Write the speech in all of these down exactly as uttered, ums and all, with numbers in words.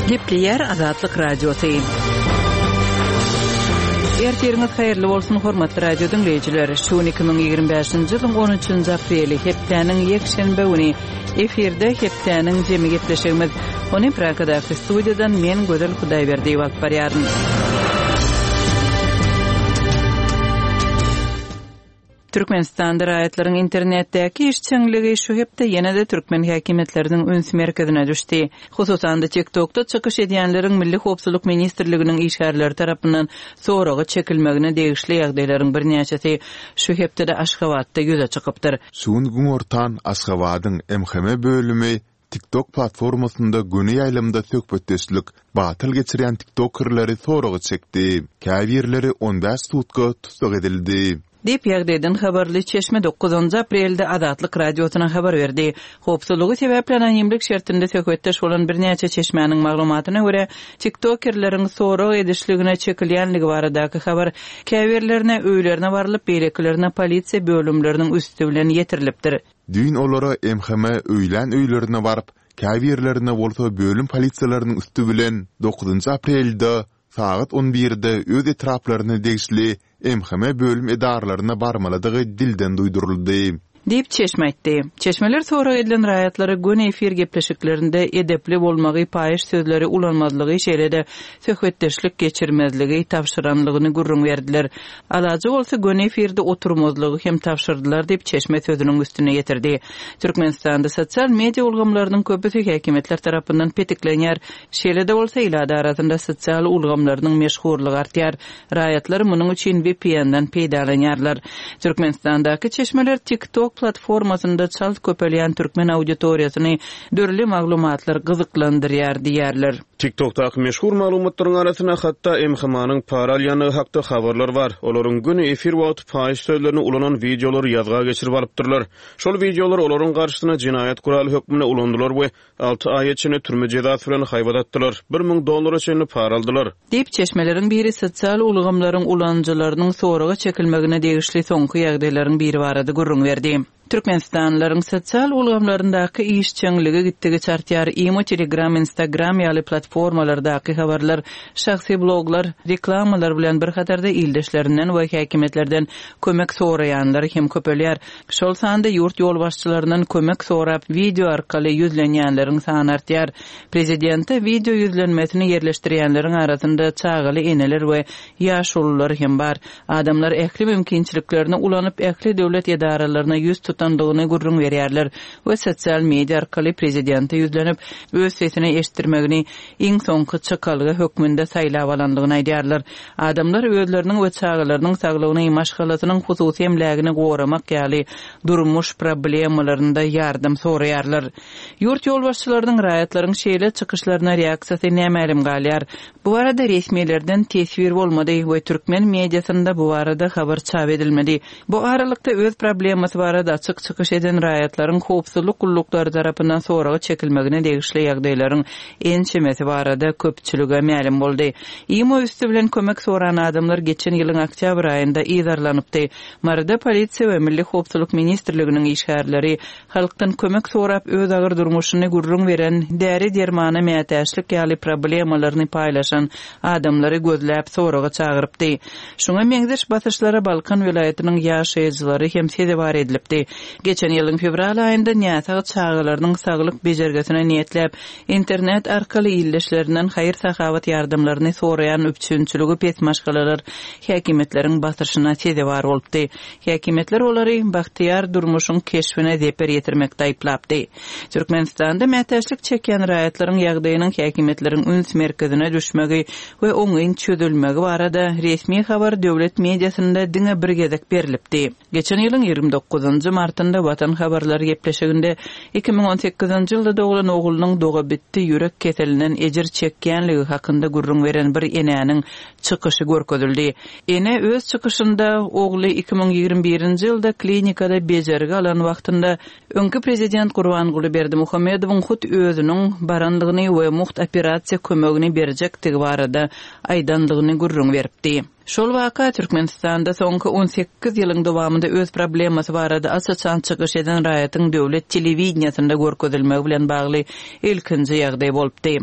Gepleýär Azatlyk Radiosy. Ertiriňiz haýyrly bolsun, hormatly radio diňleýjiler. Şu gün iki müň ýigrimi bäşinji ýylyň on üçünji apreli, hepdäniň ýekşenbe güni. Efirde hepdäniň jemi gepleşigimiz. Ony Pragadaky studiýadan men Gözel Hudaýberdiýewa alyp barýaryn. Türkmenistanda raýatlaryň internetdäki işjeňligi şu hepde ýene-de türkmen häkimiýetleriniň üns merkezine düşdi. Hususan-da, TikTokda çykyş edýänleriň Milli howpsuzlyk ministrliginiň işgärleri tarapyndan soraga çekilmegine degişli ýagdaýlaryň birnäçesi şu hepdede Aşgabatda ýüze çykypdyr. Şu gün günortan Aşgabadyň M H M bölümi TikTok platformasynda göni ýaýlymda söhbetdeşlik batyl geçirýän tiktokerleri soraga çekdi. Käbirleri on bäş sutka tussag edildi. Diýip, ýagdaýdan habarly çeşme dokuzynjy aprelde Azatlyk Radiosyna habar berdi. Howpsuzlygy sebäpli anonimlik şertinde söhbetdeş bolan birnäçe çeşmäniň maglumatyna görä, tiktokerleriň sorag edişligine çekilýänligi baradaky habar käbirlerine öýlerine barylyp, beýlekilerine polisiýa bölümleriniň üsti bilen ýetirilipdir. Düýn olara M H M öýlän öýlerine baryp, käbirlerine bolsa bölüm polisiýalarynyň üsti bilen dokuzynjy aprelde sagat on birde öz etraplaryna degişli M H M bölüm edaralaryna barmalydygy dilden duýduryldy. Diýip, çeşme aýtdy. Çeşmeler sorag edilen raýatlara göni efir gepleşiklerinde edepli bolmagy, paýyş sözleri ulanmazlygy, şeýle-de söhbetdeşlik geçirmezligi tabşyranlygyny gürrüň berdiler. Alajy bolsa göni efirde oturmazlygy hem tabşyrdylar diýip, çeşme sözüniň üstüne ýetirdi. Türkmenistanda sosial media ulgamlarynyň köpüsi häkimiýetler tarapyndan petiklenýär. Şeýle-de bolsa ilat arasynda sosial ulgamlarynyň meşhurlygy artýar. Raýatlar munuň üçin V P N-den peýdalanýarlar. Türkmenistandaky çeşmeler TikTok platformasynda çalt köpelýän türkmen auditoriýasyny dürli maglumatlar gyzyklandyrýar diýerler. TikTokdaky meşhur maglumatlaryň arasynda hatda M H M-nyň para alýandygy hakda habarlar bar. Olaryň göni efir wagty paýyş sözlerini ulanan wideolary ýazga geçirip alypdyrlar. Şol wideolar olaryň garşysyna jenaýat kuraly hökmünde ulandylar we alty aýa çenli türme jezasy bilen haýbat atdylar. Bir müň dollara çenli para aldylar. Diýip, çeşmeleriň biri sosial ulgamlaryň ulanyjylarynyň soraga çekilmegine degişli soňky ýagdaýlaryň biri barada gürrüň berdi. Türkmenistanlylaryň sosial ulgamlaryndaky işjeňligi gitdigiçe artýar. Imo, Telegram, Instagram ýaly platformalardaky habarlar, şahsy bloglar, reklamalar bilen bir hatarda ildeşlerinden we häkimiýetlerden kömek soraýanlar hem köpelýär. Şol sanda ýurt ýolbaşçylaryndan kömek sorap video arkaly ýüzlenýänleriň sany artýar. Prezidente video ýüzlenmesini ýerleşdirýänleriň arasynda çagaly eneler we ýaşulular hem bar. Adamlar ähli mümkinçiliklerini ulanyp, ähli döwlet edaralaryna ýüz tutandygyny gürrüň berýärler we sosial media arkaly prezidente ýüzlenip, öz sesini eşitdirmegini iň soňky çykalga hökmünde saýlap alandygyny aýdýarlar. Adamlar özleriniň we çagalarynyň saglygyny, maşgalasynyň hususy emlägini goramak ýaly durmuş problemalarynda ýardam soraýarlar. Ýurt ýolbaşçylarynyň raýatlaryň şeýle çykyşlaryna reaksiýasy nämälim galýar. Bu barada resmilerden teswir bolmady we türkmen mediasynda bu barada habar çap edilmedi. Bu aralykda öz problemasy barada açyk çykyş eden raýatlaryň howpsuzlyk gulluklary tarapyndan soraga çekilmegine degişli ýagdaýlaryň ençemesi barada köpçülige mälim boldy. Imo üstü bilen kömek soran adamlar geçen ýylyň oktýabr aýynda yzarlanypdy. Maryda polisiýa we Milli Howpsuzlyk Ministrliginiň işgärleri halkdan kömek sorap öz agyr durmuşyny gürrüň beren däri dermana mätäçlik ýaly problemalaryny paýlaşan adamlary gözläp soraga çagyrypdy. Şuňa meňzeş basyşlara Balkan welaýatynyň ýaşaýjylary hem sezewar edilipdi. Geçen ýylyň fewral aýynda näsag çagalarynyň saglyk bejergisine niýetläp internet arkaly illeşlerinden haýyr-sahawat ýardamlaryny soraýan üpjünçiligi pes maşgalalar häkimiýetleriň basyşyna sezewar bolupdy. Häkimiýetler olary bagtyýar durmuşyň keşbine zeper ýetirmekde aýyplapdy. Türkmenistanda mätäçlik çekýän raýatlaryň ýagdaýynyň häkimiýetleriň üns merkezine düşmegi we oňyn çözülmegi barada resmi habar döwlet mediasynda diňe bir gezek berilipdi. Geçen ýylyň ýigrimi dokuzynjy martynda Watan habarlary gepleşiginde iki müň on sekizinji ýylda doglan oglunyň doga bitdi ýürek keselinden ejir çekýänligi hakynda gürrüň beren bir enäniň çykyşy görkezildi. Ene öz çykyşynda ogly iki müň ýigrimi birinji ýylda klinikada bejergi alan wagtynda öňki prezident Gurbanguly Berdimuhamedowyň hut özüniň barandygyny we muht operasiýa kömegini berjekdigi barada aýdandygyny gürrüň beripdi. Şol waka Türkmenistanda soňky on sekiz ýylyň dowamynda öz problemasy barada aç-açan çykyş eden raýatyň döwlet telewideniýasynda görkezilmegi bilen bagly ilkinji ýagdaý bolupdy.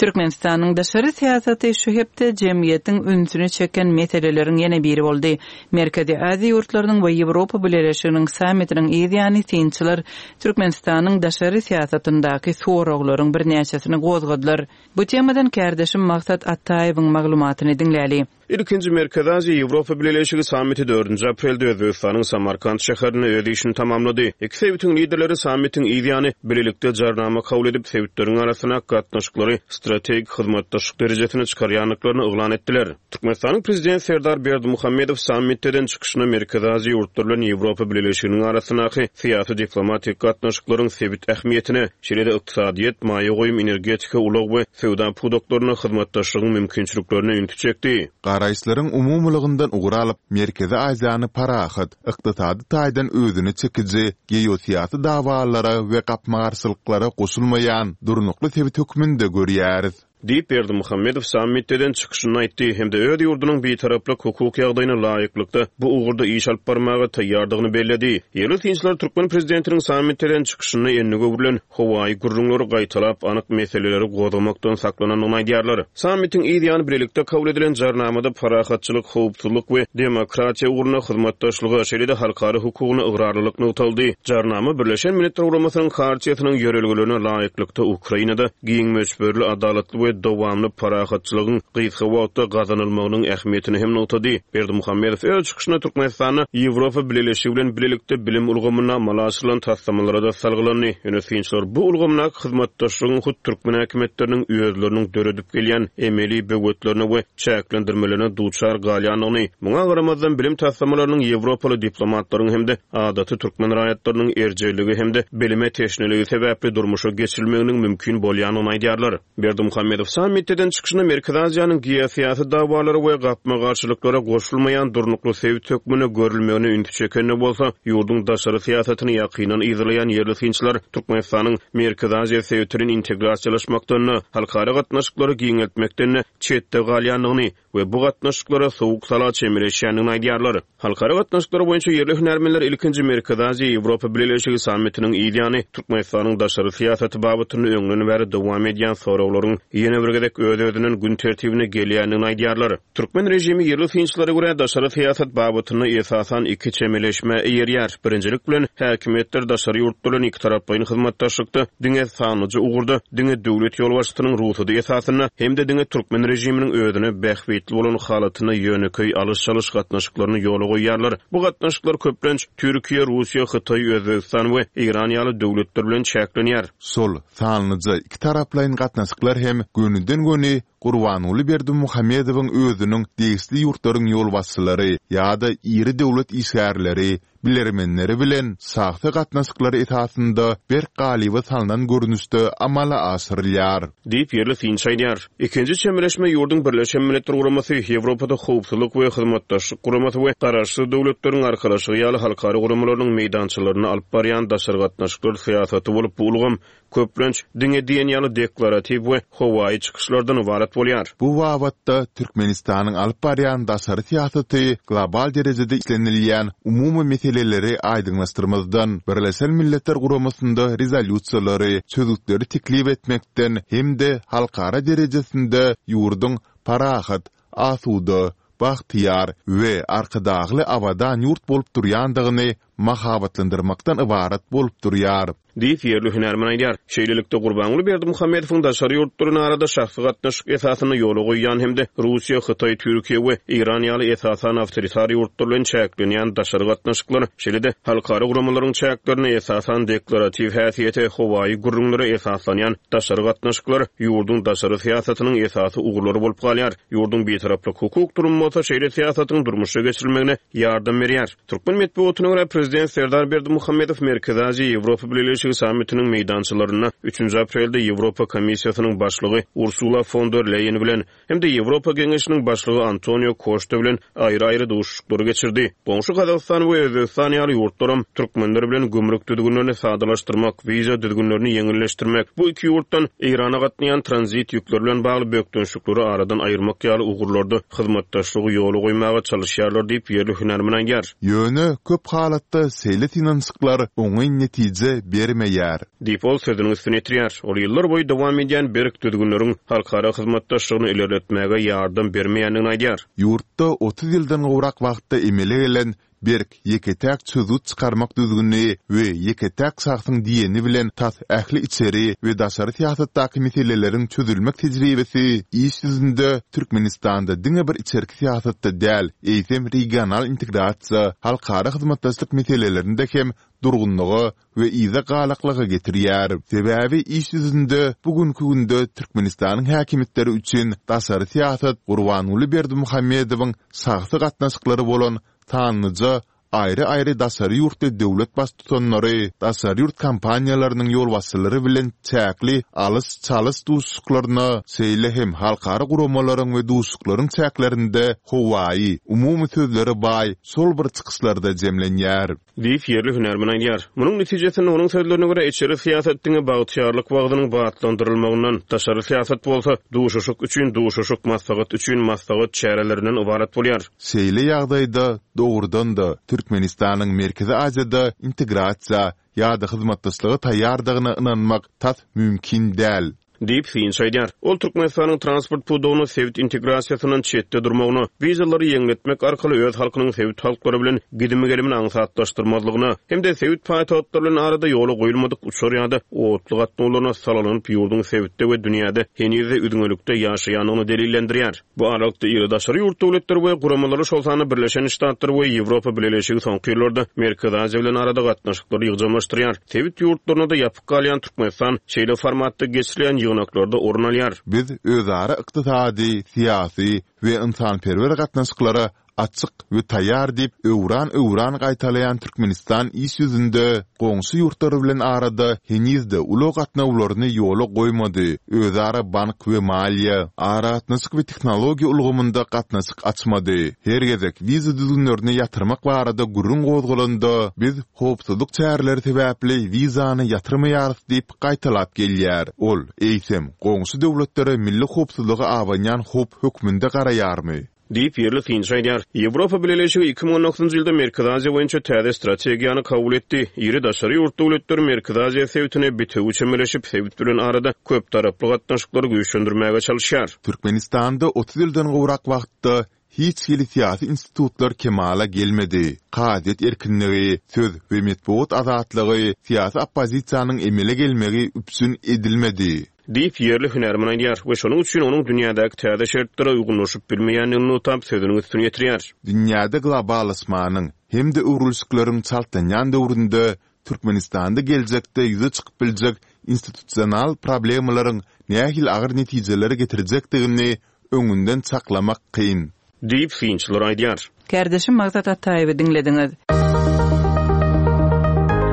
Türkmenistanyň daşary syýasaty şu hepde jemgyýetiň ünsüni çeken meseleleriň ýene biri boldy. Merkezi Aziýa ýurtlarynyň we Ýewropa Bileleşiginiň sammitiniň yz ýany synçylar Türkmenistanyň daşary syýasatyndaky soraglaryň birnäçesini gozgadylar. Bu temadan kärdeşim Maksat Ataýewiň maglumatyny diňläli. Ilkinji Merkezi Aziýa-Ýewropa Bileleşigi sammiti dördünji aprelde Özbegistanyň Samarkant şäherinde öz işini tamamlady. Iki sebitiň liderleri sammitiň yz ýany bilelikde jarnama kabul edip, sebitleriň arasyndaky gatnaşyklary strategik hyzmatdaşlyk derejesine çykarýandyklaryny yglan etdiler. Türkmenistanyň Prezidenti Serdar Berdimuhamedow sammitde eden çykyşynda Merkezi Aziýa ýurtlary bilen Ýewropa Bileleşiginiň arasyndaky syýasy-diplomatik gatnaşyklaryň sebit ähmiýetine, şeýle-de ykdysadyýet, maýa goýum, energetika, ulag we söwda pudaklarynda hyzmatdaşlygyň mümkinçiliklerine ünsi çekdi. Garaýyşlaryň umumylygyndan ugur alyp, Merkezi Aziýany parahat, ykdysady taýdan özüne çekiji, geosyýasy dawalara we gapma-garşylyklara goşulmaýan durnukly sebit hökmünde görýäris. Diýip, Berdimuhamedow sammitde eden çykyşynda aýtdy hem-de öz ýurdunyň bitaraplyk hukuk ýagdaýyna laýyklykda bu ugurda iş alyp barmaga taýýardygyny belledi. Ýerli synçylar türkmen prezidentiniň sammitde eden çykyşynda endige öwrülen howaýy gürrüňleri gaýtalap, anyk meseleleri gozgamakdan saklanandygyny aýdýarlar. Sammitiň yz ýany bilelikde kabul edilen Jarnamada parahatçylyk, howpsuzlyk we demokratiýa ugrunda hyzmatdaşlyga, şeýle-de halkara hukugyna ygrarlylyk nygtaldy. Jarnama Birleşen Milletler Guramasynyň Hartiýasynyň ýörelgelerine laýyklykda Ukrainada giň möçberli, adalatly we dowamly parahatçylygyň gysga wagtda gazanylmagynyň ähmiýetini hem nygtady. Berdimuhamedow öz çykyşynda Türkmenistanda Ýewropa Bileleşigi bilen bilelikde bilim ulgamynda amala aşyrylan taslamalara-da salgylandy. Ýöne synçylar bu ulgamdaky hyzmatdaşlygyň hut türkmen häkimiýetleriniň özleriniň döredip gelýän emeli böwetlerine we çäklendirmelerine duçar galýandygyny, muňa garamazdan bilim taslamalarynyň ýewropaly diplomatlaryň hem-de adaty türkmen raýatlarynyň erjelligi hem-de bilime teşneligi sebäpli durmuşa geçirilmeginiň mümkin bolýandygyny aýdýarlar. Berdimuhamedow sammitde eden çykyşynda Merkezi Aziýanyň geosyýasy dawalara we gapma-garşylyklara goşulmaýan durnukly sebit hökmünde görülmegine ünsi çeken-de bolsa, ýurduň daşary syýasatyny ýakyndan yzarlaýan ýerli synçylar Türkmenistanyň Merkezi Aziýa sebiti bilen integrasiýalaşmakdan-da, halkara gatnaşyklary giňeltmekden-de çetde galýandygyny we bu gatnaşyklara sowuk-sala çemeleşýändigini aýdýarlar. Halkara gatnaşyklary boýunça ýerli hünärmenler ilkinji Merkezi Aziýa-Ýewropa Bileleşigi sammitiniň yz ýany Türkmenistanyň daşary syýasaty babatynda öňden bäri dowam edýän soraglaryň ýene bir gezek öz-özünden gün tertibine gelýändigini aýdýarlar. Türkmen režimi ýerli synçylara görä daşary syýasat babatynda esasan iki çemeleşmä eýerýär. Birinjilik bilen, häkimiýetler daşary ýurtlar bilen ikitaraplaýyn hyzmatdaşlykda diňe sanlyja ugurda, diňe döwlet ýolbaşçysynyň rugsady esasynda hem-de diňe türkmen režiminiň özüne bähbitli bolan halatynda ýönekeý alyş-çalyş gatnaşyklaryny ýola goýýarlar. Bu gatnaşyklar köplenç Türkiýe, Russiýa, Hytaý, Özbegistan we Eýran ýaly döwletler bilen çäklenýär. Şol sanlyja ikitaraplaýyn gatnaşyklar hem gönüden-göni Gurbanguly Berdimuhamedowyň özüniň degişli ýurtlaryň ýolbaşçylary ýa-da iri döwlet işgärleri, bilermenleri bilen şahsy gatnaşyklary esasynda berk galyba salnan görnüşde amala aşyrylýar. Diýip, ýerli synçy aýdýar. Ikinji çemeleşme ýurduň Birleşen Milletler Guramasy, Ýewropada Howpsuzlyk we Hyzmatdaşlyk Guramasy we Garaşsyz Döwletleriň Arkalaşygy ýaly halkara guramalarynyň meýdançalarynda alyp barýan daşary gatnaşyklar syýasaty bolup, bu ulgam, köplenç, diňe diýen ýaly deklaratiw we howaýy çykyşlardan ybarat bolýar. Bu babatda Türkmenistanyň alyp barýan daşary syýasaty global derejede islenilýän umumy meseleleri aýdyňlaşdyrmazdan, Birleşen Milletler Guramasynda rezolýusiýalary, çözgütleri teklip etmekden hem-de halkara derejesinde ýurduň parahat, asuda, bagtyýar we Arkadagly abadan ýurt bolup durýandygyny mahabatlandyrmakdan ybarat bolup durýar. Diýip, ýerli hünärmen aýdýar. Şeýlelikde, Gurbanguly Berdimuhamedowyň daşary ýurtlar bilen arada şahsy gatnaşyk esasynda ýola goýýan hem-de Russiýa, Hytaý, Türkiýe we Eýran ýaly esasan awtoritar ýurtlar bilen çäklenýän daşary gatnaşyklar, şeýle-de halkara guramalaryň çäklerinde esasan deklaratiw häsiýete, howaýy gürrüňlere esaslanýan daşary gatnaşyklar ýurduň daşary syýasatynyň esasy ugurlary bolup galýar. Ýurduň bitaraplyk hukuk durumy bolsa şeýle syýasatyň durmuşa geçirilmegine ýardam berýär. Türkmen metbugatyna görä, prezident Serdar Berdimuhamedow Merkezi Aziýa-Ýewropa Bileleşigi sammitiniň meýdançalarynda üçünji aprelde Ýewropa Komissiýasynyň başlygy Ursula fon der Leýen bilen hem-de Ýewropa Geňeşiniň başlygy Antonio Koşta bilen aýry-aýry duşuşyklary geçirdi. Goňşy Gazagystan we Özbegistan ýaly ýurtlaram türkmenler bilen gümrük düzgünlerini sadalaşdyrmak, wiza düzgünlerini ýeňilleşdirmek, bu iki ýurtdan Eýrana gatnaýan tranzit ýükleri bilen bagly bökdençlikleri aradan aýyrmak ýaly ugurlarda hyzmatdaşlygy ýola goýmaga çalyşýarlar diýip, ýerli hünärmen aýdýar. Ýöne köp halatda Adatda şeýle synanyşyklar oňyn netije bermeýär. Diýip, ol sözüniň üstüni ýetirýär. Ol ýyllar boýy dowam edýän berk düzgünleriň halkara hyzmatdaşlygyny ilerletmäge ýardam bermeýändigini aýdýar. Ýurtda otuz ýyldan gowrak wagtda emele gelen berk ýeke-täk çözgüt çykarmak düzgüni we ýeke-täk şahsyň diýeni bilen tas ähli içeri we daşary syýasatdaky meseleleriň çözülmek tejribesi iş ýüzünde Türkmenistanda diňe bir içerki syýasatda däl, eýsem regional integrasiýa, halkara hyzmatdaşlyk meselelerinde hem durgunlyga we yza galaklyga getirýär. Sebäbi iş ýüzünde bu günki günde Türkmenistanyň häkimiýetleri üçin daşary syýasat Gurbanguly Berdimuhamedowyň şahsy gatnaşyklary bolan sanlyja aýry-aýry daşary ýurtly döwlet baştutanlary, daşary ýurt kompaniýalarynyň ýolbaşçylary bilen çäkli alyş-çalyş duşuşyklaryna, şeýle hem halkara guramalaryň we duşuşyklaryň çäklerinde howaýy, umumy sözlere baý şol bir çykyşlarda jemlenýär. Diýip, ýerli hünärmen aýdýar. Munuň netijesinde, onuň sözlerine görä, içeri syýasat diňe bagtyýarlyk wagzynyň batlandyrylmagyndan, daşary syýasat bolsa, duşuşyk üçin duşuşyk, maslahat üçin maslahat çärelerinden ybarat bolýar. Şeýle ýagdaýda, dogrudan-da, Türkmenistanyň Merkezi Aziýada integrasiýa ýa-da hyzmatdaşlyga taýýardygyna ynanmak tas mümkin däl. Diýip, synçy aýdýar. Ol Türkmenistanyň transport pudagynda sebit integrasiýasyndan çetde durmagyna, wizalary ýeňletmek arkaly öz halkynyň sebit halklary bilen gidimi-gelimini aňsatlaşdyrmazlygyna hem-de sebit paýtagtlary bilen arada ýola goýulmadyk uçar ýa-da otly gatnawlaryna salgylanyp ýurduň sebitde we dünýäde heniz-de üzňelikde ýaşaýandygyny delillendirýär. Bu aralykda iri daşary ýurt döwletleri we guramalary, şol sanda Birleşen Ştatlar we Ýewropa Bileleşigi soňky ýyllarda Merkezi Aziýa bilen arada gatnaşyklary ýygjamlaşdyrýar. Sebit ýurtlaryna-da ýapyk galýan Türkmenistan şeýle formatda geçirilýän ýygnaklarda orun alýar. Biz özara ykdysady, syýasy we ynsanperwer gatnaşyklara açyk we taýýar diýip öwran-öwran gaýtalaýan Türkmenistan iş ýüzünde goňşy ýurtlar bilen arada heniz-de ulag gatnawlaryny ýola goýmady, özara bank we maliýe, aragatnaşyk we tehnologiýa ulgamynda gatnaşyk açmady. Her gezek wiza düzgünlerini ýatyrmak barada gürrüň gozgalanda, biz howpsuzlyk çäreleri sebäpli wizany ýatyrmaýarys diýip gaýtalap gelýär. Ol, eýsem, goňşy döwletlere milli howpsuzlyga abanýan howp hökmünde garaýarmy? Diýip, ýerli synçy aýdýar. Ýewropa Bileleşigi iki müň on dokuzynjy ýylda Merkezi Aziýa boýunça täze strategiýany kabul etdi. Iri daşary ýurt döwletleri Merkezi Aziýa sebitine bitewi çemeleşip, sebit bilen arada köptaraply gatnaşyklary güýçlendirmäge çalyşýar. Türkmenistanda otuz ýyldan gowrak wagtda hiç hili syýasy institutlar kemala gelmedi. Kazyýet erkinligi, söz we metbugat azatlygy, syýasy oppozisiýanyň emele gelmegi üpjün edilmedi. Diýip, ýerli hünärmen aýdýar we şonuň üçin onuň dünýädäki täze şertlere uýgunlaşyp bilmeýändigini nygtap, sözüniň üstüni ýetirýär. Dünýäde globallaşmanyň hem-de öwrülişikleriň çaltlanýan döwründe Türkmenistanda geljekde ýüze çykyp biljek institusional problemalaryň nähili agyr netijelere getirjekdigini öňünden çaklamak kyn. Diýip, synçylar aýdýar. Kärdeşim Maksat Ataýewi diňlediňiz.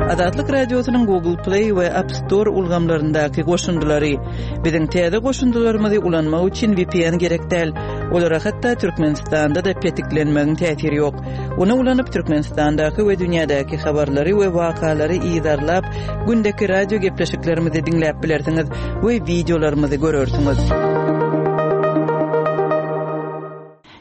Azatlyk Radiosynyň Google Play we App Store ulgamlaryndaky goşundylary. Biziň täze goşundylarymyzy ulanmak üçin V P N gerek däl. Olara hatda Türkmenistanda-da petiklenmegiň täsiri ýok. Ony ulanyp Türkmenistandaky we dünýädäki habarlary we wakalary yzarlap, gündeki radio gepleşiklerimizi diňläp bilersiňiz we wideolarymyzy görersiňiz.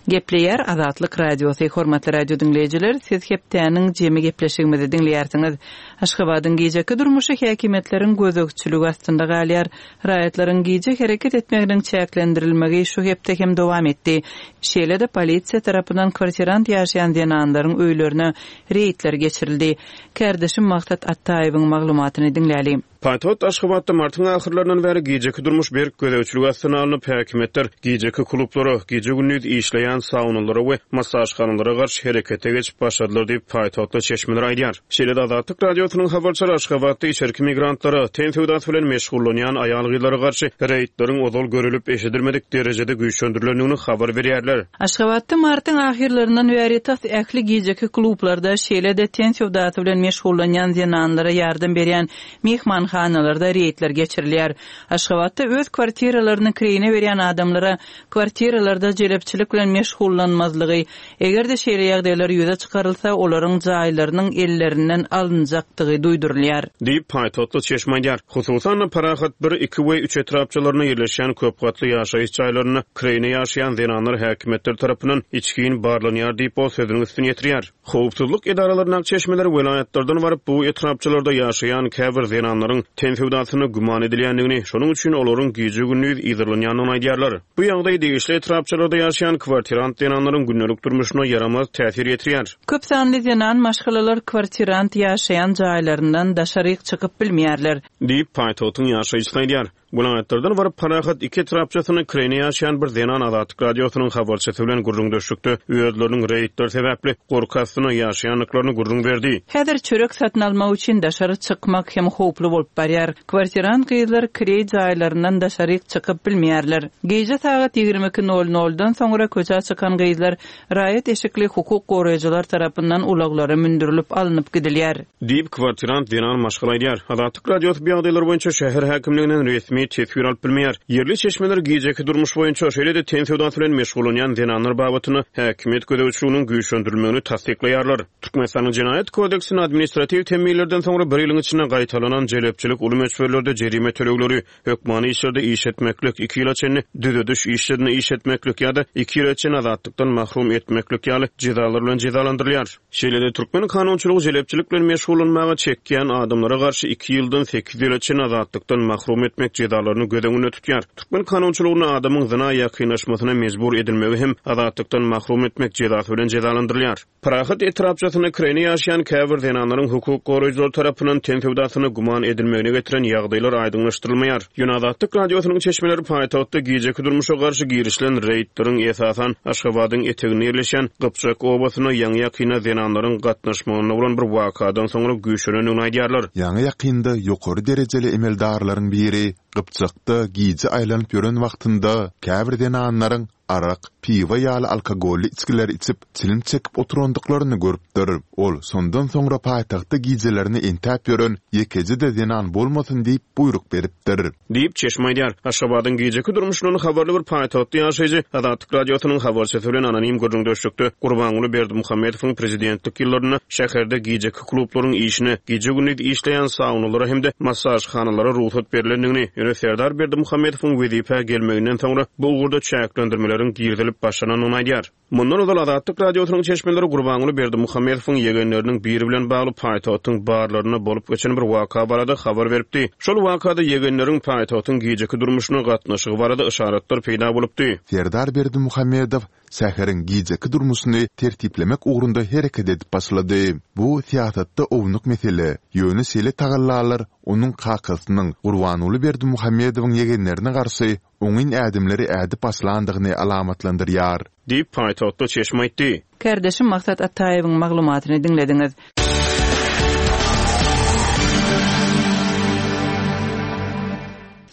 Gepleýär Azatlyk Radiosy. Hormatly radio diňleýjiler, siz hepdäniň jemi gepleşigimizi diňleýärsiňiz. Aşgabadyň gijeki durmuşy häkimiýetleriň gözegçiligi astynda galýar. Raýatlaryň gije hereket etmeginiň çäklendirilmegi şu hepde hem dowam etdi. Şeýle-de polisiýa tarapyndan kwartirant ýaşaýan zenanlaryň öýlerine reýdler geçirildi. Kärdeşim Maksat Ataýewiň maglumatyny diňläli. Paýtagt Aşgabatda martyň ahyrlaryndan bäri gijeki durmuş berk gözegçilik astyna alnyp, häkimiýetler gijeki klublara, gije-gündiz işleýän saunalara we massažhanalara garşy herekete geçip başladylar diýip paýtagtly çeşmeler aýdýar. Şeýle-de Azatlyk Radiosynyň habarçylary Aşgabatda içerki migrantlara, ten söwdasy bilen meşgullanýan aýal-gyzlara garşy reýdleriň ozal görülip eşidilmedik derejede güýçlendirilendigini habar berýärler. Aşgabatda martyň ahyrlaryndan bäri tas ähli gijeki klublarda şeýle-de ten söwdasy bilen meşgullanýan zenanlara ýardam berýän mehmanhanalarda reýdler geçirilýär. Aşgabatda öz kwartiralaryny kireýine berýän adamlara kwartiralarda jelepçilik bilen meşgullanmazlygy, eger-de şeýle ýagdaýlar ýüze çykarylsa, olaryň jaýlarynyň ellerinden alynjakdygy duýdurylýar. Diýip paýtagtly çeşme aýdýar. Hususan-da Parahat bir, iki we üç etrapçalarynda ýerleşýän köp gatly ýaşaýyş jaýlarynda kireýine ýaşaýan zenanlar häkimiýetler tarapyndan içgin barlanýar diýip ol sözüniň üstüni ýetirýär. Howpsuzlyk edaralaryndaky çeşmeler welaýatlardan baryp, bu etrapçalarda ýaşaýan käbir zenanlaryň ten söwdasyna güman edilýändigini, şonuň üçin olaryň gije-gündiz yzarlanýandygyny aýdýarlar. Bu ýagdaý degişli etrapçalarda ýaşaýan kwartirant zenanlaryň gündelik durmuşyna ýaramaz täsir ýetirýär. Köp sanly zenan maşgalalar kwartirant ýaşaýan jaýlaryndan daşaryk çykyp bilmeýärler. Diýip, paýtagtyň ýaşaýjysy aýdýar. Welaýatlardan baryp, Parahat iki etrapçasynda kireýne ýaşaýan bir zenan Azatlyk Radiosynyň habarçysy bilen gürrüňdeşlikde özleriniň reýdler sebäpli gorky astynda ýaşaýandyklaryny gürrüň berdi. Häzir çörek satyn almak üçin daşary çykmak hem howply bolup barýar. Kwartirant gyzlar kireý jaýlaryndan daşaryk çykyp bilmeýärler. Gije sagat ýigrimi iki nol noldan soňra köçä çykan gyzlar raýat eşikli hukuk goraýjylar tarapyndan ulaglara mündürilip alnyp gidilýär. Diýip, kwartirant zenan maşgala aýdýar. Azatlyk Radiosy bu ýagdaýlar boýunça şäher häkimliginden resmi teswir alyp bilmeýär. Ýerli çeşmeler gijeki durmuş boýunça, şeýle-de ten söwdasy bilen meşgullanýan zenanlar babatynda häkimiýet gözegçiliginiň güýçlendirilmegini tassyklaýarlar. Türkmenistanyň Jenaýat kodeksinde administratiw temmilerden soňra bir ýylyň içinde gaýtalanan jelepçilik uly möçberlerde jerime tölegleri, hökmany işlerde iş etmeklik, iki ýyla çenli düzediş işlerinde iş etmeklik ýa-da iki ýyla çenli azatlykdan mahrum etmeklik ýaly jezalar bilen jezalandyrylýar. Şeýle-de türkmen kanunçylygy jelepçilik bilen meşgullanmaga çekýän adamlara garşy iki ýyldan sekiz ýyla çenli azatlykdan mahrum etmek jezalaryny göz öňünde tutýar. Türkmen kanunçylygynda adamyň zyna ýakynlaşmasyna mejbur edilmegi hem azatlykdan mahrum etmek jezasy bilen jezalandyrylýar. Parahat etrapçasynda kireýne ýaşaýan käbir zenanlaryň hukuk goraýjylar tarapyndan ten söwdasyna güman edilmegine getiren ýagdaýlar aýdyňlaşdyrylmaýar. Ýöne Azatlyk Radiosynyň çeşmeleri paýtagtda gijeki durmuşa garşy girişilen reýdleriň esasan Aşgabadyň eteginde ýerleşen Gypjak obasyna ýaňy-ýakynda zenanlaryň gatnaşmagynda bolan bir wakadan soňra güýçlenendigini aýdýarlar. Ýaňy-ýakynda ýokary derejeli emeldarlaryň biri Gypjakda gije aýlanyp ýören wagtynda käbir zenanlaryň arak, piwa ýaly alkogolly içgileri içip, çilim çekip oturandyklaryny görüpdir. Ol şondan soňra paýtagtda gijelerini entäp ýören ýekeje-de zenan bolmasyn diýip buýruk beripdir. Diýip, çeşme aýdýar. Aşgabadyň gijeki durmuşyndan habarly bir paýtagtda ýaşaýjy Azatlyk Radiosynyň habarçysy bilen anonim gürrüňdeşlikde Gurbanguly Berdimuhamedowyň prezidentlik ýyllarynda şäherde gijeki klublaryň işine, gije-gündiz işleýän saunalara hem-de massažhanalara rugsat berlendigini, ýöne Serdar Berdimuhamedowyň wezipä gelmeginden soňra bu ugurda çäklendirmeleriň girizilip başlanandygyny aýdýar. Mundan ozal Azatlyk Radiosynyň çeşmeleri Gurbanguly Berdimuhamedowyň ýegenleriniň biri bilen bagly paýtagtyň barlarynda bolup geçen bir waka barada habar beripdi. Şol wakada ýegenleriň paýtagtyň gijeki durmuşyna gatnaşygy barada yşaratlar peýda bolupdy. Serdar Berdimuhamedow şäheriň gijeki durmuşyny tertiplemek ugrunda hereket edip başlady. Bu syýasatda ownuk mesele, ýöne şeýle tagallalar onuň kakasynyň Gurbanguly Berdimuhamedowyň ýegenlerine garşy oňyn ädimleri ädip başlandygyny alamatlandyrýar. Diýip, paýtagtda çeşme aýtdy. Kardeşim Maksat Ataýewiň maglumatyny diňlediňiz.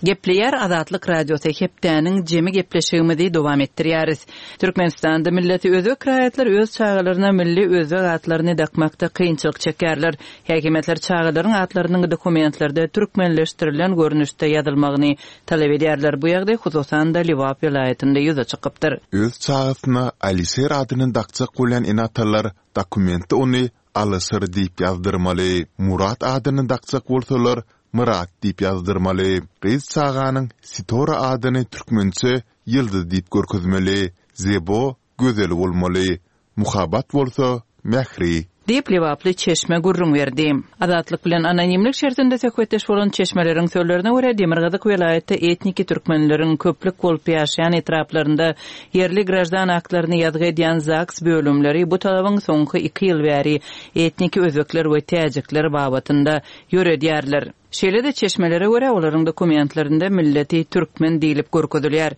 Gepleýär Azatlyk Radiosy hepdäniň jemi gepleşigimizi dowam etdirýäris. Türkmenistanda milleti özbek raýatlar öz çagalaryna milli özbek atlaryny dakmakda kynçylyk çekýärler. Häkimiýetler çagalaryň atlarynyň dokumentlerde türkmenleşdirilen görnüşde ýazylmagyny talap edýärler. Bu ýagdaý hususan-da Lebap welaýatynda ýüze çykypdyr. Öz çagasyna Alişer adyny dakjak bolýan ene-atalar dokumentde ony Alyşir diýip ýazdyrmaly. Murat adyny dakjak bolsalar Myrat diýip ýazdyrmaly. Gyz çaganyň Sitora adyny türkmençe Ýyldyz diýip görkezmeli. Zebo gözel bolmaly. Muhabbat bolsa Mähri. Diýip Lebaply çeşme gürrüň berdi. Azatlyk bilen anonimlik şertinde söhbetdeş bolan çeşmeleriň sözlerine görä Demirgazyk welaýatda etniki türkmenleriň köplük bolup ýaşaýan etraplarynda ýerli grajdan aktlaryny ýazgy edýän ZAGS bölümleri bu talabyň soňky iki ýyl bäri etniki özbekler we täjikler babatynda ýöredýärler. Şeýle-de çeşmelere görä olaryň dokumentlerinde milleti türkmen diýlip görkezilýär.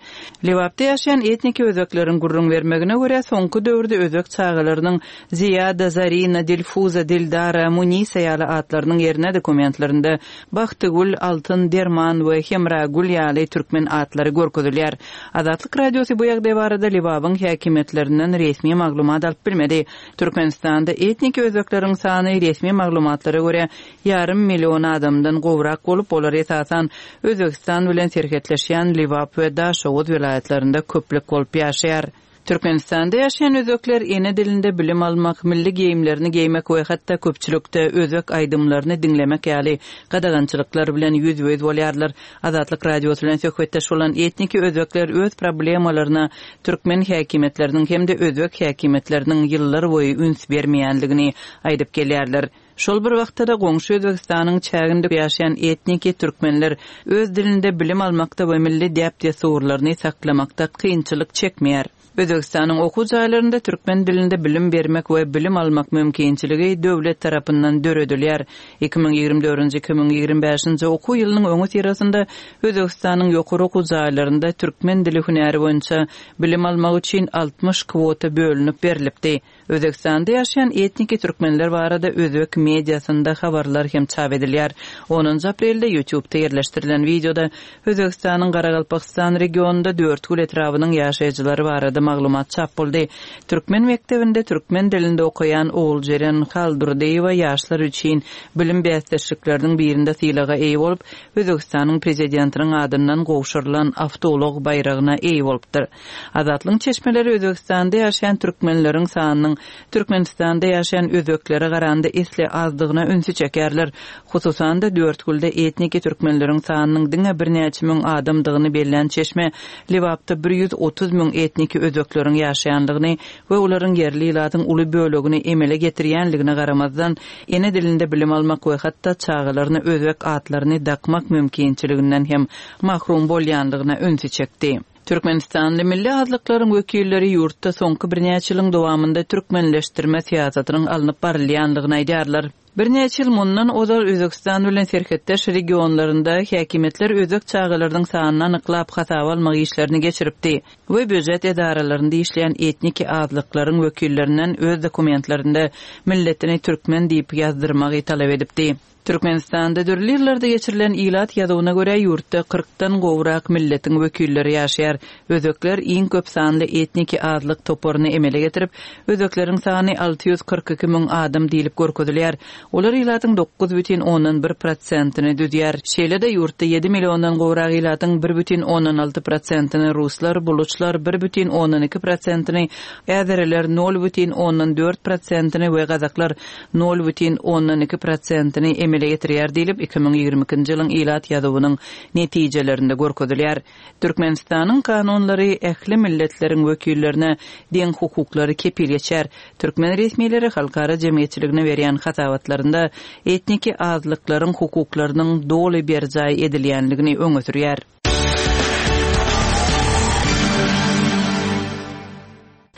Lebapda ýaşaýan etniki özbekleriň gürrüň bermegine görä soňky döwürde özbek çagalarynyň Ziýada, Zarina, Dilfuza, Dildara, Munisa ýaly atlarynyň ýerine dokumentlerinde Bagtygül, Altyn, Derman we Hemragül ýaly türkmen atlary görkezilýär. Azatlyk Radiosy bu ýagdaý barada Lebabyň häkimiýetlerinden resmi maglumat alyp bilmedi. Türkmenistanda etniki özbekleriň sany resmi maglumatlara görä ýarym million adamdan gowrak bolup, olar esasan Özbegistan bilen serhetleşýän Lebap we Daşoguz welaýatlarynda köplük bolup ýaşaýar. Türkmenistanda ýaşaýan özbekler ene dilinde bilim almak, milli geýimlerini geýmek we hatda köpçülikde özbek aýdymlaryny diňlemek ýaly gadagançylyklar bilen ýüzbe-ýüz bolýarlar. Azatlyk Radiosy bilen söhbetdeş bolan etniki özbekler öz problemalaryna türkmen häkimiýetleriniň hem-de özbek häkimiýetleriniň ýyllarboýy üns bermeýändigini aýdyp gelýärler. Şol bir wagtda-da goňşy Özbegistanyň çäginde ýaşaýan etniki türkmenler öz dilinde bilim almakda we milli däp-dessurlaryny saklamakda kynçylyk çekmeýär. Özbegistanyň okuw jaýlarynda türkmen dilinde bilim bermek we bilim almak mümkinçiligi döwlet tarapyndan döredilýär. Iki müň ýigrimi dördünji, iki müň ýigrimi bäşinji okuw ýylynyň öňüsyrasynda Özbegistanyň ýokary okuw jaýlarynda türkmen dili hünäri boýunça bilim almak üçin altmyş kwota bölünip berlipdi. Özbegistanda ýaşaýan etniki türkmenler barada özbek mediasynda habarlar hem çap edilýär. Onunjy aprelde YouTube-da ýerleşdirilen wideoda Özbegistanyň Garagalpagystan regionynda Dörtgül etrabynyň ýaşaýjylary barada maglumat çap boldy. Türkmen mekdebinde türkmen dilinde okaýan Oguljeren Haldurdyýewa ýaşlar üçin bilim bäsdeşlikleriniň birinde sylaga eýe bolup, Özbegistanyň prezidentiniň adyndan gowşurylan awtoulag baýragyna eýe bolupdyr. Azatlygyň çeşmeleri Özbegistanda ýaşaýan türkmenleriň sanynyň Türkmenistanda ýaşaýan özbeklere garanda esli azdygyna ünsi çekerler. Hususan-da Dörtgülde etniki türkmenleriň sanynyň diňe birnäçe müň adamdygyny bellän çeşme Lebapda bir ýüz otuz müň etniki özbekleriň ýaşaýandygyny we olaryň ýerli ilatyň uly bölegini emele getirýänligine garamazdan, ene dilinde bilim almak we hatda çagalaryna özbek atlaryny dakmak mümkinçiliginden hem mahrum bolýandygyna ünsi çekdi. Türkmenistanly milli azlyklaryň wekilleri ýurtda soňky birnäçe ýylyň dowamynda türkmenleşdirme syýasatynyň alnyp barylýandygyny aýdýarlar. Birnäçe ýyl mundan ozal Özbegistan bilen serhetdeş regionlarynda häkimiýetler özbek çagalarynyň sanyny anyklap hasaba almak işlerini geçiripdi we býujet edaralarynda işleýän etniki azlyklaryň wekillerinden öz dokumentlerinde milletini türkmen diýip ýazdyrmagy talap edipdi. Türkmenistanda dürli ýyllarda geçirilen ilat ýazuwyna görä ýurtda kyrkdan gowrak milletiň wekilleri ýaşaýar. Özbekler iň köp sanly etniki azlyk toparyny emele getirip, özbekleriň sany alty ýüz kyrk iki müň adam diýlip görkezilýär. Olar ilatyň dokuz bütin ondan bir prosentini düzýär. Şeýle-de ýurtda ýedi milliondan gowrak ilatyň bir bütin ondan alty prosentini ruslar, buluçlar bir bütin ondan iki prosentini, äzeriler nol bütin ondan dört prosentini we gazaklar nol bütin ondan iki prosentini emele getirýär diýlip, iki müň ýigrimi ikinji ýylyň ilat ýazuwynyň netijelerinde görkezilýär. Türkmenistanyň kanunlary ähli milletleriň wekillerine deň hukuklary kepil geçer. Türkmen resmileri halkara jemgyýetçiligine berýän hasabatlarynda etniki azlyklaryň hukuklarynyň doly berjaý edilýänligini öňe sürýär.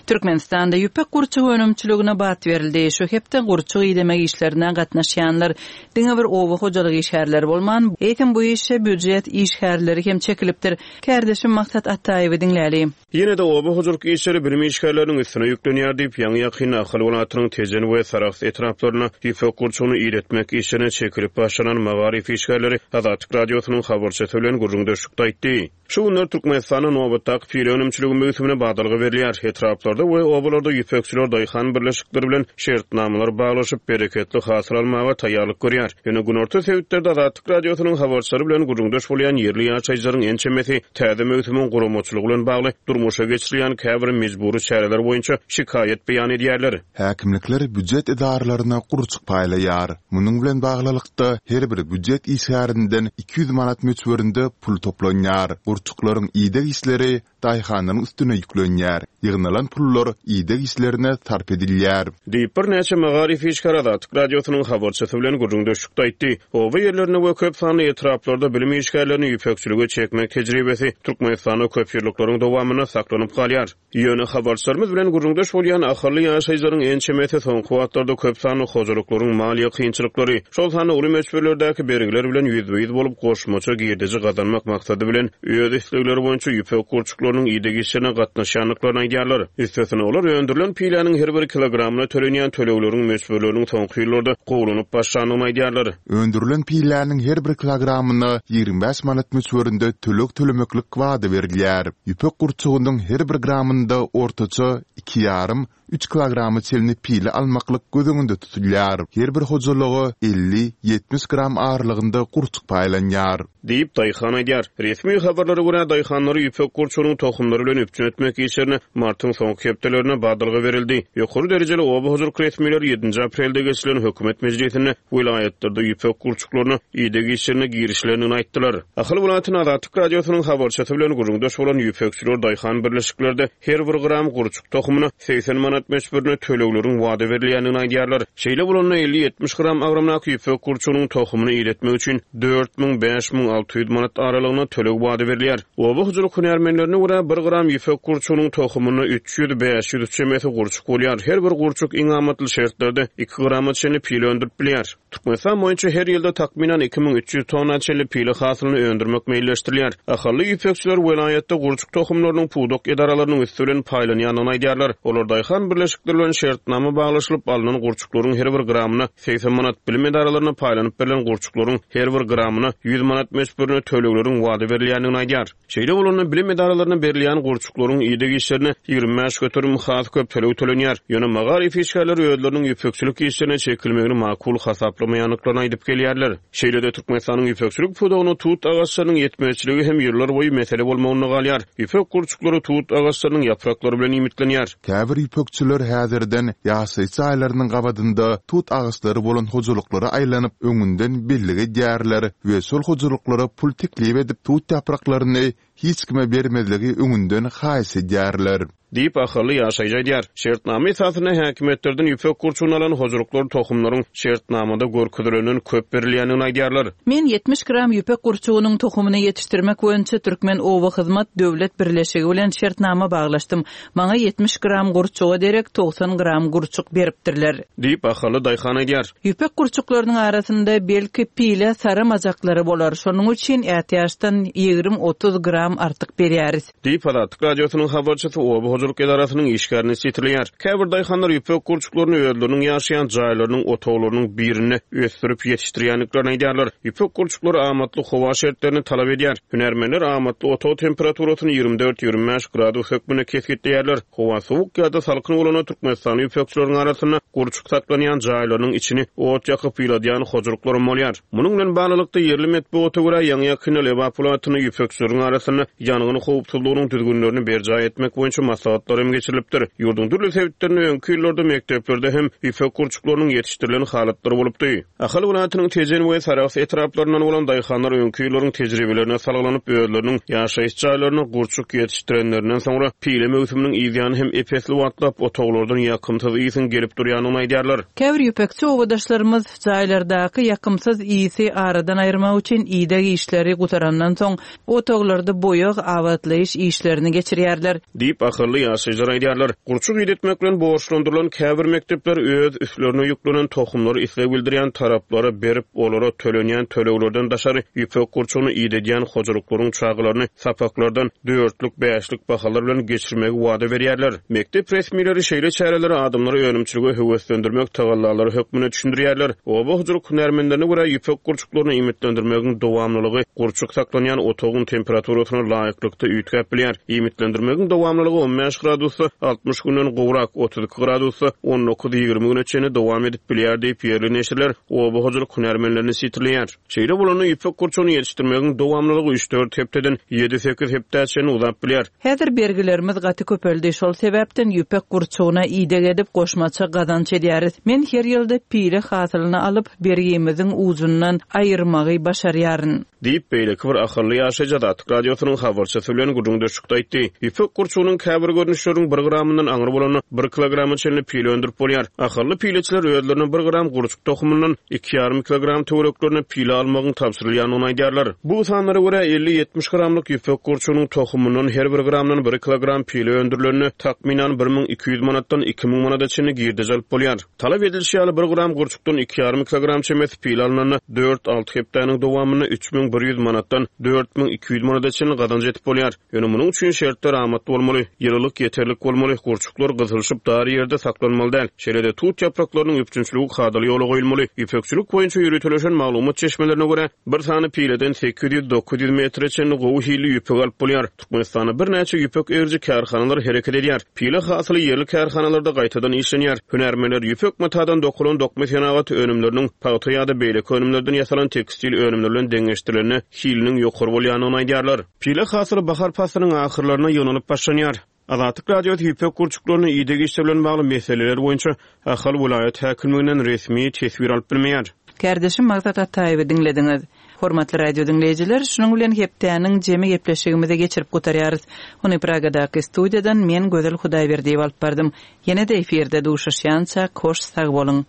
Türkmenistanda ýüpek gurçugy önümçiligine bat berildi. Şu hepde gurçuk idemek işlerine gatnaşýanlar diňe bir oba hojalyk işgärleri bolman, eýsem bu işe býujet işgärleri hem çekilipdir. Kärdeşim Maksat Ataýewi diňläli. Ýene-de oba hojalyk işleri bilim işgärleriniň üstüne ýüklenýär diýip, ýaňy ýakyn Ahal welaýatynyň Tejen we Sarahs etraplaryna ýüpek gurçugyny iýretmek işlerine çekilip başlanan magaryf işgärleri Azatlyk Radiosynyň habarçysy bilen gürrüňdeşlikde aýtdy. Şu günler Türkmenistanda nobatdaky pile önümçiligi möwsümine badalga berilýär. Etraplarda we obalarda ýüpekçiler daýhan birleşikleri bilen şertnamalar baglaşyp, bereketli hasyl almaga taýýarlyk görýär. Ýöne günorta sebitlerde Azatlyk Radiosynyň habarçylary bilen gürrüňdeş bolýan ýerli ýaşaýjylaryň ençemesi täze möwsümiň guramaçylygy bilen bagly durmuşa geçirilýän käbir mejbury çäreler boýunça şikaýat beýan edýärler. Häkimlikler býujet edaralaryna gurçuk paýlaýar. Munuň bilen baglylykda her bir býujet işgärinden iki ýüz manat möçberinde pul toplanýar. Gurçuklaryň ideg işleri daýhanlaryň üstüne ýüklenýär. Ýygnalan pullar ideg işlerine sarp edilýär. Diýip birnäçe magaryf işgäri Azatlyk Radiosynyň habarçysy bilen gürrüňdeşlikde aýtdy. Oba ýerlerinde we köp sanly etraplarda bilim işgärlerini ýüpekçilige çekmek tejribesi Türkmenistanda köp ýyllyklaryň dowamynda saklanyp galýar. Ýöne habarçylarymyz bilen gürrüňdeş bolýan ahally ýaşaýjylaryň ençemesi soňky wagtlarda köp sanly hojalyklaryň maliýe kynçylyklary, şol sanda uly möçberlerdäki bergiler bilen ýüzbe-ýüz bolup goşmaça girdeji gazanmak maksady bilen öz islegleri boýunça ýüpek gurçuklarynyň ideg işlerine gatnaşýandyklaryny aýdýarlar. Üstesine olar öndürilen piläniň her bir kilogramyna tölenýän tölegleriň möçberleriniň soňky ýyllarda gowlanyp başlandygyny aýdýarlar. Öndürilen piläniň her bir kilogramyna ýigrimi bäş manat möçberinde töleg tölemeklik wada berilýär. Ýüpek gurçugynyň her bir gramynda ortaça iki ýarym, üç kilograma çenli pile almaklyk göz öňünde tutulýar. Her bir hojalyga elli, ýetmiş gram aralygynda gurçuk paýlanýar. Diýip daýhan aýdýar. Resmi habarlara Sanlara görä, daýhanlary ýüpek gurçugynyň tohumlary bilen üpjün etmek işlerine martyň soňky hepdelerinde badalga berildi. Ýokary derejeli oba hojalyk resmileri ýedinji aprelde geçirilen hökümet mejlisinde welaýatlarda ýüpek gurçuklaryna ideg işlerine girişilendigini aýtdylar. Ahal welaýatynda Azatlyk Radiosynyň habarçysy bilen gürrüňdeş bolan ýüpekçiler daýhan birleşiklerde her bir gram gurçuk tohumyna segsen manat möçberinde tölegleriň wada berilýändigini aýdýarlar. Şeýle bolanda elli-ýetmiş gram agramdaky ýüpek gurçugynyň tohumyny idetmek üçin dört müň, bäş müň alty ýüz manat aralygynda töleg wada berilýär. Oba hojalyk hünärmenlerine görä, bir gram ýüpek gurçugynyň tohumynda üç ýüz, bäş ýüz çemesi gurçuk bolýar. Her bir gurçuk iň amatly şertlerde iki grama çenli pile öndürip bilýär. Türkmenistan boýunça her ýylda takmynan iki müň üç ýüz tonna çenli pile hasylyny öndürmek meýilleşdirilýär. Ahally ýüpekçiler welaýatda gurçuk tohumlarynyň pudak edaralarynyň üsti bilen paýlanýandygyny aýdýarlar. Olar daýhan birleşikleri bilen şertnama baglaşylyp alnan gurçuklaryň her bir gramyna segsen manat, bilim edaralaryna paýlanyp berlen gurçuklaryň her bir gramyna ýüz manat möçberinde tölegleriň wada berilýändigini aýdýar. Şeýle bolanda bilim edaralaryna berilýän gurçuklaryň ideg işlerine ýigrimi bäş göterim has köp töleg tölenýär. Ýöne magaryf işgärleri özleriniň ýüpekçilik işlerine çekilmegini makul hasaplamaýandyklaryny aýdyp gelýärler. Şeýle-de Türkmenistanyň ýüpekçilik pudagyna tut agaçlarynyň ýetmezçiligi hem ýyllar boýy mesele bolmagynda galýar. Ýüpek gurçuklary tut agaçlarynyň ýapraklary bilen iýmitlenýär. Käbir ýüpekçiler häzirden ýaşaýyş jaýlarynyň gabadynda tut agaçlary bolan hojalyklara aýlanyp, öňünden bellik edýärler we şol hojalyklara pul teklip edip, tut ýapraklaryny hiç kime bermezligi öňünden haýyş edýärler. Diýip, ahally ýaşaýjy aýdýar. Şertnama esasynda häkimiýetlerden ýüpek gurçugyny alan hojalyklar tohumlaryň şertnamada görkezilenden köp berilýändigini aýdýarlar. Men ýetmiş gram ýüpek gurçugynyň tohumyny ýetişdirmek boýunça Türkmen oba hyzmat döwlet birleşigi bilen şertnama baglaşdym. Maňa ýetmiş gram gurçuga derek togsan gram gurçuk beripdirler. Diýip, ahally daýhan aýdýar. Ýüpek gurçuklarynyň arasynda belki pile saramajaklary bolar. Şonuň üçin ätiýaçdan ýigrimi otuz gram artyk berýäris. Diýip, Azatlyk Radiosynyň habarçysy oba hojalyk edarasynyň işgärini sitirleýär. Käbir daýhanlar ýüpek gurçuklaryny özleriniň ýaşaýan jaýlarynyň otaglarynyň birinde ösdürip ýetişdirýändiklerini aýdýarlar. Ýüpek gurçuklary amatly howa şertlerini talap edýär. Hünärmenler amatly otag temperaturasyny ýigrimi dört ýigrimi bäş gradus hökmünde kesgitleýärler. Howa sowuk ýa-da salkyn bolanda Türkmenistanyň ýüpekçileriniň arasynda gurçuk saklanýan jaýlarynyň içini ot ýakyp ýyladýan hojalyklaram bolýar. Munuň bilen baglylykda ýerli metbugata görä ýaňy ýakynda Lebap welaýatynda ýüpekçileriň arasynda ýangyn howpsuzlygynyň düzgünlerini berjaý etmek boýunça maslahatlar hem geçirilipdir. Ýurduň dürli sebitlerinde öňki ýyllarda mekdeplerde hem ýüpek gurçuklarynyň ýetişdirilen halatlary bolupdy. Ahal welaýatynyň Tejen we Sarahs etraplaryndan bolan daýhanlar öňki ýyllaryň tejribelerine salgylanyp özleriniň ýaşaýyş jaýlaryna gurçuk ýetişdirenlerinden soňra pile möwsüminiň ýany hem epesli wagtlap otaglardan ýakymsyz ýysyň gelip durýandygyny aýdýarlar. Käbir ýüpekçi obadaşlarymyz jaýlardaky ýakymsyz ýysy aradan aýyrmak üçin ideg işleri gutarandan soň otaglarda boýag abatlaýyş işlerini geçirýärler. Diýip ahally ýaşaýjylar aýdýarlar. Gurçuk idetmek bilen borçlandyrylan käbir mekdepler öz üstlerine ýüklenen tohumlary isleg bildirýän taraplara berip, olara tölenýän töleglerden daşary ýüpek gurçugyny idedýän hojalyklaryň çagalaryny sapaklardan dörtlük, bäşlik bahalar bilen geçirmegi wada berýärler. Mekdep resmileri şeýle çäreleri adamlary önümçilige höweslendirmek tagallalary hökmünde düşündirýärler. Oba hojalyk hünärmenlerine görä ýüpek gurçuklaryny iýmitlendirmegiň dowamlylygy gurçuk saklanýan otagyň temperaturasyna laýyklykda üýtgäp bilýär. Iýmitlendirmegiň dowamlylygy on bäş gradusda altmyş günden gowrak, otuz iki gradusda on dokuz ýigrimi güne çenli dowam edip bilýär diýip ýerli neşirler oba hojalyk hünärmenlerini sitirleýär. Şeýle bolanda ýüpek gurçugyny ýetişdirmegiň dowamlylygy üç dört hepdeden ýedi sekiz hepdä çenli uzap bilýär. Häzir bergilerimiz gaty köpeldi. Şol sebäpden ýüpek gurçugyna ideg edip goşmaça gazanç edýäris. Men her ýylda pile hasylyny alyp bergimiziň ujundan aýyrmagy başarýaryn. Diýip beýleki bir ahally ýaşaýjy Azatlyk Radiosynyň habarçysy bilen gürrüňdeşlikde aýtdy. Ýüpek gurçugynyň käbir görnüşleriniň bir gramyndan aňry bolanda bir kilograma çenli pile öndürip bolýar. Ahally pileçiler özlerine bir gram gurçuk tohumyndan iki ýarym kilogram töwereklerine pile almagyň tabşyrylýandygyny aýdýarlar. Bu sanlara görä elli ýetmiş gramlyk ýüpek gurçugynyň tohumyndan her bir gramdan bir kilogram pile öndürilende takmynan bir müň iki ýüz manatdan iki müň manada çenli girdeji alyp bolýar. Talap edilişi ýaly bir gram gurçukdan iki ýarym kilogram çemesi pile alynanda dört alty hepdäniň dowamynda üç müň bir ýüz manatdan dört müň iki ýüz manada çenli gazanç edip bolýar. Ýöne munuň üçin şertler amatly bolmaly, ýylylyk ýeterlik bolmaly, gurçuklar gysylyşyp dar ýerde saklanmaly däl. Şeýle-de tut ýapraklarynyň üpjünçiligi kadaly ýola goýulmaly. Ýüpekçilik boýunça ýöriteleşen maglumat çeşmelerine görä bir sany pileden sekiz ýüz dokuz ýüz metre çenli gowy hilli ýüpek alyp bolýar. Türkmenistanda birnäçe ýüpek eriji kärhanalar hereket edýär. Pile hasyly ýerli kärhanalarda gaýtadan işlenýär. Hünärmenler ýüpek matadan dokulan dokma senagaty önümleriniň pagta ýa-da beýleki önümlerden ýasalan tekstil önümleri bilen deňeşdirilende hiliniň ýokary bolýandygyny aýdýarlar. Pile hasyly bahar paslynyň ahyrlarynda ýygnalyp başlanýar. Azatlyk Radiosy ýüpek gurçuklaryna ideg işleri bilen bagly meseleler boýunça Ahal welaýat häkimliginden resmi teswir alyp bilmeýär. Kärdeşim Maksat Ataýewi diňlediňiz. Hormatly radio diňleýjiler, şunuň bilen hepdäniň jemi gepleşigimizi geçirip gutarýarys. Ony Pragadaky studiýadan men Gözel Hudaýberdiýewa alyp bardym. Ýene-de efirde duşuşýança hoş sag boluň.